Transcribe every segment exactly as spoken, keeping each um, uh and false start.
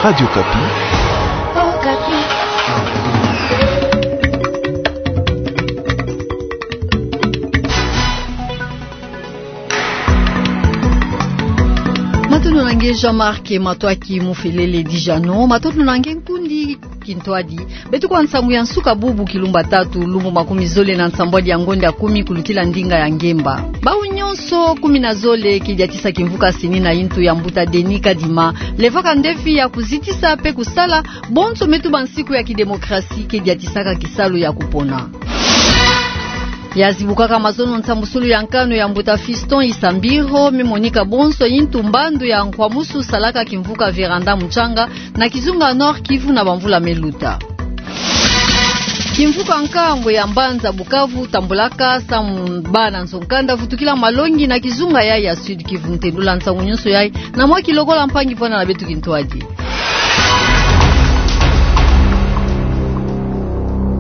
Radio Okapi. Matondo na nge Jean-Marc Matoaki Mufelele Dijano, matondo na nge nkundi kintwadi. Beto kwa nsangu ya nsuka bubu kilumbu tatu, lumbu makumi zole na nsambwadi ya ngonda ya kumi kulutila ndinga ya ngemba. Bawu nyonso kumi na zole ke diatisa kimvuka CENI na yintu ya mbuta Denis Kadima, levaka ndefi ya kuzitisa pe kusala bonso me tuba nsiku ya kidemokrasi ke diatisaka kisalu ya kupona. Ya zibukaka mazono nsambusulu ya nkanu ya mbuta Fiston Isambiro, me monika bonso yintu mbandu ya nkwamusu salaka kimvuka Véranda Mutsanga na kizunga Nord-Kivu na bamvula me luta. Kimvuka nkango ya mbanza Bukavu tambulaka samu bana nzo-nkanda vutukila malongi na kizunga yayi ya Sud-Kivu. Ntendula nsangu nyonso yayi na mwa kilokola mpangi vwanda na beto kintwadi.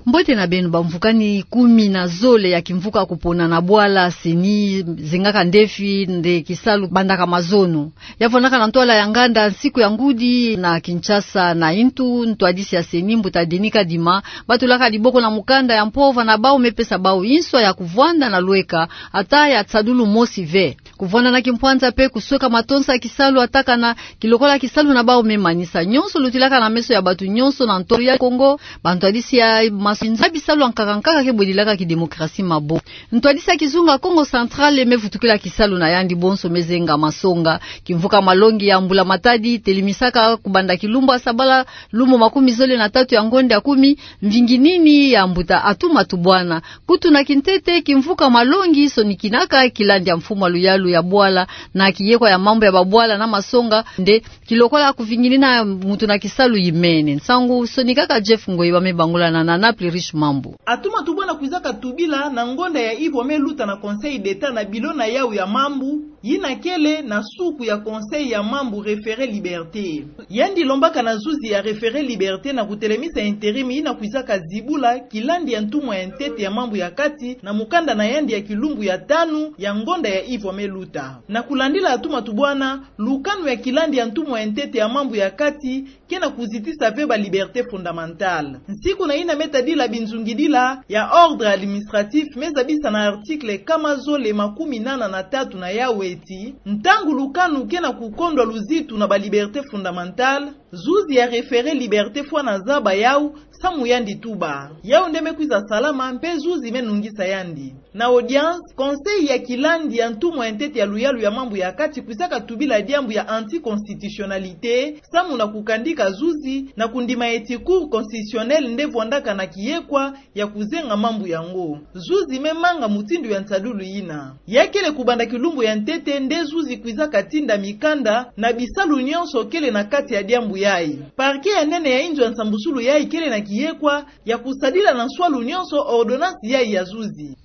Mbote na beno. Bamvukani kumi na zole ya kimvuka kupona na bwala CENI zengaka ndefi nde kisalu bandaka mazono. Ya vwandaka na ntwala ya nganda nsiku ya ngudi na Kinshasa na yintu ntwadisi ya CENI mbuta Denis Kadima batulaka diboko na mukanda ya mpova na bawu me pesa bawu nswa ya kuvwanda na lweka ata ya tsadulu mosi ve. Kuvwanda na kimpwanza pe kusweka matonsa ya kisalu atakana kilokola kisalu na bawu me manisa. Nyonso lutilaka na meso ya bato nyonso na ntolo ya Kongo, bantwadisi ya masinza bisalu ya nkaka nkaka ke bwedilaka kidemokrasi mabo. Ntwadisi ya kizunga Kongo Central me vutukila kisalu na yandi bonso me zenga masonga. Kimvuka malongi ya mbula matadi telemisaka kubanda kilumbu ya sabala lumbu makumi zole na tatu ya ngonda ya kumi, mvingi nini ya mbuta Atuma Tubwana. Kutu na kintete, kimvuka malongi sonikinaka kilandi ya mfumu ya luyalu ya bwala na kiyekwa ya mambu ya babwala na masonga nde kilokola kuvinginina mutu na kisalu yimene. Nsangu sonikaka Jeff Ngoyi, ba me bangula na Nana Plurish Mambu. Atuma Tubwana kwizaka tubila na ngonda ya ivwa me luta na Conseil d'État na bilo na yawu ya mambu, yina kele na suku ya Conseil ya mambu Référé Liberté. Yandi lombaka na zuzi ya Référé Liberté na kutelemisa intérim yina kwizaka zibula kilandi ya ntumwa ya ntete ya mambu ya kati na mukanda na yandi ya kilumbu ya tanu ya ngonda ya ivwa me luta. Na kulandila Atuma Tubwana, lukanu ya kilandi ya ntumwa ya ntete ya mambu ya kati ke na kuzitisa ve ba liberté fondamentale. Nsiku na yina me tadila binzungidila ya ordre administratif me zabisa na article kama zole makumi nana na tatu na yawu ti, ntangu lukanu ke na kukondwa luzitu na ba liberté fondamentale, zuzi ya Référé Liberté fwana zaba yawu samu yandi tuba. Yawu nde me kwiza salama mpe zuzi me nungisa yandi. Na audience, Conseil ya kilandi ya ntumwa ya ntete ya luyalu ya mambu ya kati kwizaka tubila diambu ya anticonstitutionnalité, samu na kukandika zuzi na kundima ti Cour constitutionnelle nde vwandaka na kiyekwa ya kuzenga mambu yango. Zuzi me manga mutindu ya nsadulu yina. Ya kele kubanda kilumbu ya ntete nde zuzi kwizaka tinda mikanda na bisalu nyonso kele na kati ya diambu yayi. Parquet ya nene ya inzo ya nsambusulu yayi kele na kiyekwa ya kusadila na nswalu nyonso ordonnance yayi ya zuzi.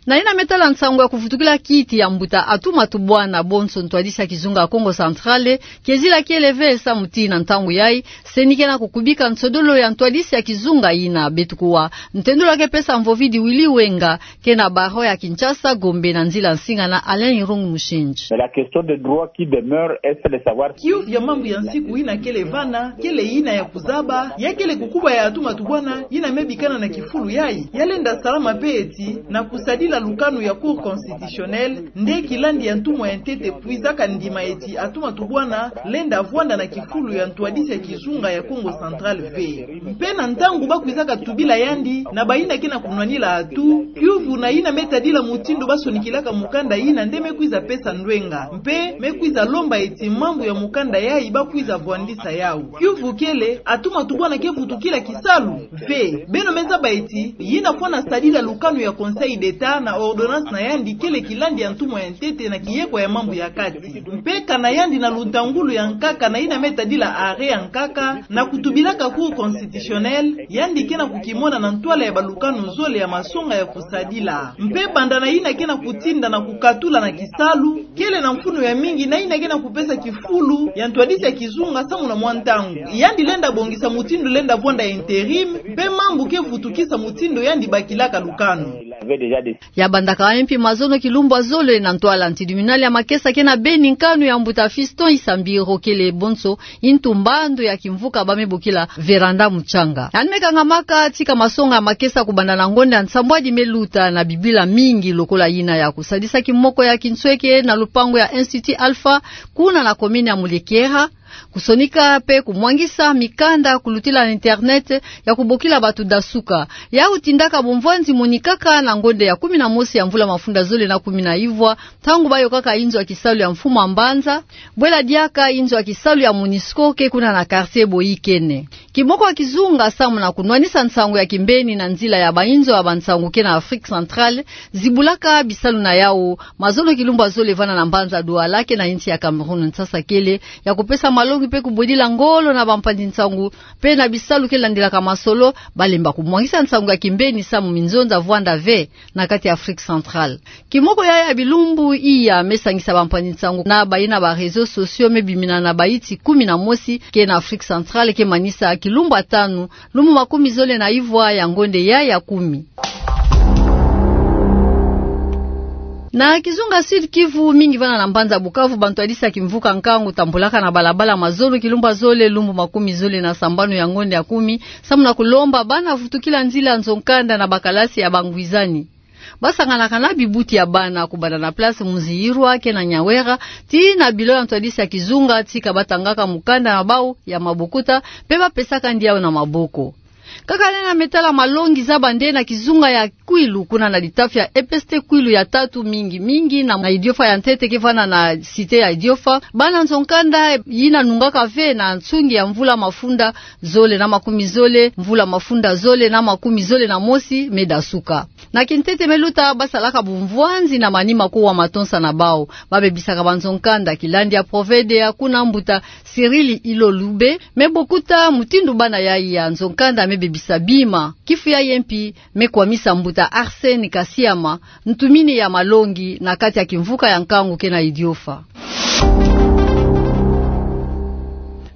Na yina me tala nsangu ya kuvutukila kiti ya mbuta Atuma Tubwana, bonso ntwadisi ya kizunga Kongo Central, kiezila kiele ve samu ti na ntangu yayi CENI ke na kukubika nsodolo ya ntwadisi ya kizunga yina. Beto kuwa, ntendula ke pesa mvovidi Willy Wenga, ke na barreau ya Kinshasa, Gombe, na nzila nsinga na Alain Irung Mushindji. Mais la question de droit qui demeure, est-ce de savoir... Kiuvu ya mambu ya nsiku yina kele vana, kele yina ya kuzaba, ya kele kukuba ya Atuma Tubwana yina me bikana na kifulu yayi, ya lenda salama mpe ti na kusadila lukanu ya Cour constitutionnelle, nde kilandi ya ntumwa ya ntete kwizaka ndima ti Atuma Tubwana lenda vwanda na kifulu ya ntwadisi ya kizunga ya Kongo Central ve. Mpe na ntangu ba kwizaka tubila yandi na bayina ke na kunwanila atu, kiuvu na yina me tadila mutindu ba sonikilaka mukanda yina nde me kwiza pesa ndwenga. Mpe me kwiza lomba ti mambu ya mukanda yayi ba kwiza vwandisa yawu. Kiuvu kele, Atuma Tubwana ke vutukila kisalu ve. Beno me zaba ti yina fwana sadila lukanu ya Conseil d'État na ordonnance na yandi kele kilandi ya ntumwa ya ntete na kiyekwa ya mambu ya kati. Mpe kana yandi na luntangulu ya nkaka na yina me tadila arrêt ya nkaka, na kutubilaka Cour constitutionnelle, yandi ke na kukimona na ntwala ya balukanu zole ya masonga ya kusadila. Mpe banda na yina ke na kutinda na kukatula na kisalu, kele na mfunu ya mingi na yina ke na kupesa kifulu ya ntwadisi ya kizunga samu na mwa ntangu. Yandi lenda bongisa mutindu lenda vwanda intérim, mpe mambu ke vutukisa mutindu yandi bakilaka lukanu. Ya bandaka mpi mazono kilumbwa zole na ntwala, tribunal ya makesa kena beni nkanu ya mbuta Fiston Isambiro kele bonso ntu mbando ya kimvuka ba me bokila Vérand'a Mutsanga. Yandi me kangamaka tika masonga ya makesa kubanda na ngonda ya nsambwadi me luta na bibila mingi lokola yina ya kusadisa kimoko ya kinsweke na lupangu ya Institut Alpha, kuna na commune ya Muliekera, kusonika mpe kumwangisa mikanda kulutila na internet ya kubokila bato dasuka. Yau tindaka bumvwanzi monikaka na ngonda ya kumi na mosi ya mvula mafunda zole na kumi na ivwa, ntangu bayokaka inzo ya kisalu ya mfumu a mbanza, bwela diaka inzo ya kisalu ya MONUSCO ke kuna na quartier Boyikene. Kimoko ya kizunga samu na kunwanisa nsangu ya kimbeni na nzila ya bainzo ya bansangu ke na Afrique Centrale, zibulaka bisalu na yau mazono kilumbwa zole vana na mbanza Douala ke na insi ya Cameroun, nsasa kele ya kupesa malongi mpe kubwedila ngolo na bampanzi nsangu mpe na bisalu ke landilaka masolo, balemba kumwangisa nsangu ya kimbeni samu minzonza vwanda ve na kati ya Afrique Centrale. Kimoko ya ya bilumbu iya me sangisa bampanzi nsangu na bayina ba réseaux sociaux me bimina na baiti kumi na mosi ke na Afrique Centrale ke manisa kilumbu ya tanu, lumbu makumi zole na ivwa ya ngonda ya ya kumi. Na kizunga Sud-Kivu, mingi vana na mbanza Bukavu, bantwadisi ya kimvuka nkangu tambulaka na balabala mazono kilumbwa zole, lumbu makumi zole na sambanu ya ngonda ya kumi, samu na kulomba bana vutukila nzila nzo nkanda na bakalasi ya bangwizani. Basanganaka na bibuti ya bana kubanda na place Muziyirwa ke na Nyawera, tii na bilo ya ntwadisi ya kizunga, tika batangaka mukanda na bau ya mabokuta, mpe bapesaka ndi yau na maboko. Kaka nde na me tala malongi, zaba nde na kizunga ya Kwilu, kuna na litafi ya EPST Kwilu ya tatu, mingi mingi na, na idiofa ya ntete ke vana na cité ya idiofa, bana nzo nkanda yina nungaka ve na nsungi ya mvula mafunda zole na makumi zole, mvula mafunda zole na makumi zole na mosi me dasuka. Na kintete me luta, basalaka bumvwanzi na manima kuwa matonsa na bau. Babebisaka banzo nkanda, kilandi ya prophète ya kuna, mbuta Cyril Ilolube, me bokuta mutindu bana yayi ya nzo nkanda me bebisa bima. Kifu yayi mpi me kwamisa mbuta Arsène Kasiama, ntumini ya malongi na kati ya kimvuka ya nkangu ke na idiofa.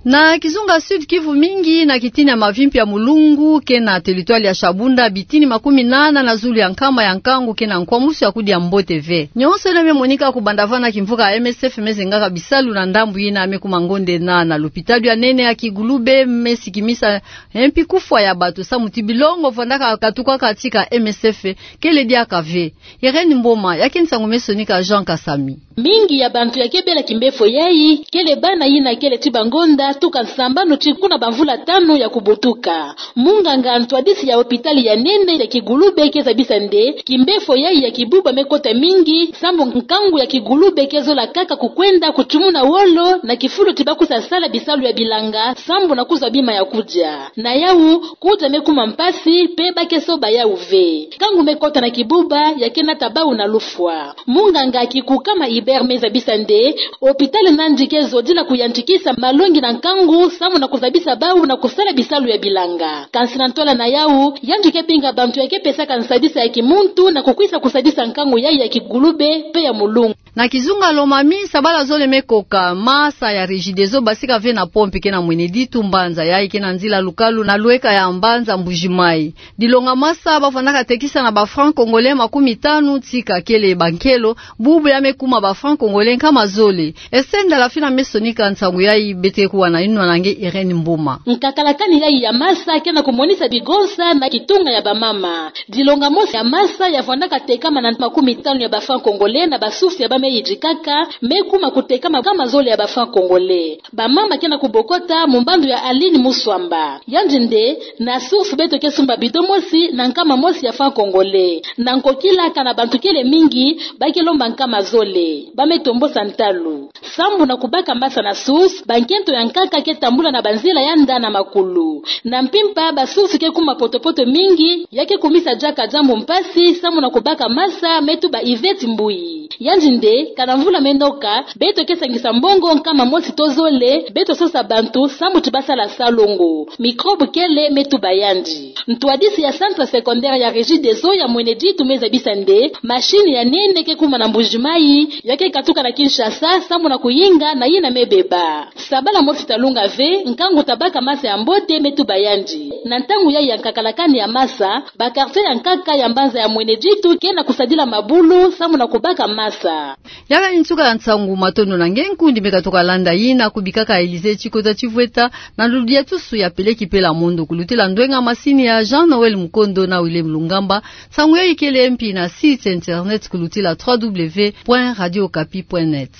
Na kizunga Sud-Kivu, mingi na kitini ya mavimpi ya Mulungu ke na territoire ya Shabunda, bitini makumi nana na zulu ya nkama ya nkangu ke na nkwamusu ya kudia mbote ve. Nyonso yina me monika kubanda vana, kimvuka ya MSF me zengaka bisalu na ndambu yina me kuma ngonda nana. Lopitalo ya nene ya Kigulube me sikimisa mpi kufwa ya bato samu ti bilongo vwandaka katukaka tika MSF kele diaka ve. Irène Mboma, ya ke nsangu me sonika Jean Kasami. Mingi ya bantu ya ke bela kimbefo yayi kele bana yina kele ti bangonda tuka sambanu tii kuna bamvula tanu ya kubutuka. Munganga ntwadisi ya hôpital ya nene ya Kigulube ke zabisa nde kimbefo yayi ya kibuba me kota mingi, sambu nkangu ya Kigulube ke zola kaka kukwenda kutumuna wolo na kifulu ti bakwiza sala bisalu ya bilanga, sambu na kuzwa bima ya kudia. Na yau, kudia me kuma mpasi, mpe ba ke soba yau ve. Nkangu me kota na kibuba, ya ke nata bau na lufwa. Munganga Kikukama Ibert me zabisa nde hôpital nandi ke zodila kuyantikisa malongi na nkangu, samu na kuzabisa bau na kusala bisalu ya bilanga. Kansi na ntwala na yau, yandi ke binga bantu ya ke pesaka nsadisa ya kimuntu na kukwiza kusadisa nkangu yayi ya Kigulube mpe ya Mulungu. Na kizunga Lomami, sabala zole me koka, masa ya Regideso basika ve na pont ke na Mweneditu, mbanza yayi ke na nzila lukalu na lweka ya mbanza Mbuji-Mayi. Dilonga masa bavwandaka tekisa na ba francs congolais makumi tanu, tika kele bankelo, bubu ya me kuma ba francs congolais nkama zole. Esther Ndalafina me sonika nsangu yayi, beto ke kuwa na yinwa na nge Irène Mboma. Nkakalakani yayi ya masa ke na kumonisa bigonsa na kitunga ya bamama. Dilonga mosi ya masa ya vwandaka tekama na makumi tanu ya ba francs congolais na ba sources ya ba me yidikaka, me kuma kutekama nkama zole ya ba francs congolais. Bamama ke na kubokota mu mbandu ya Aline Muswamba. Yandi nde, na source beto ke sumba bidon mosi na nkama mosi ya francs congolais. Na nkokila kana bantu kele mingi, ba ke lomba nkama zole. Ba me tombosa ntalu. Sambu na kubaka masa na source, bankento ya nkaka ke tambula na banzila ya nda na makulu. Na mpimpa, ba source ke kuma poto-poto mingi, ya ke kumisa diaka diambu mpasi, sambu na kubaka masa, me tuba Yvette Mbuyi. Yandi nde, kana mvula me noka, beto ke sangisa mbongo nkama mosi to zole, beto sosa bantu, sambu ti basala salongo. Microbe kele, me tuba yandi. Ntwadisi ya centre secondaire ya Regideso ya Mweneditu me zabisa nde, machine ya nene ke kuma na Mbuji-Mayi, ya ke katuka na Kinshasa, sambu na kuyinga na yina me beba. Sabala mosi Talunga ve nkangu tabaka masa ya mbote me tuba yandi. Na ntangu yayi ya nkaka la kani ya masa, ba quartier ya nkaka ya mbanza ya Mweneditu ke na kusadila mabulu samu na kubaka masa. Yala ni nsuka ya nsangu. Matondo na nge nkundi me katoka landa yina kubikaka Elysée Tsikota Tshivweta na luluyatusu ya peleki pela mondo kulutila ndwenga masini ya Jean Noël Mukondo na William Lungamba. Nsangu yayi kele mpi na site internet kulutila trois W point radio okapi point net.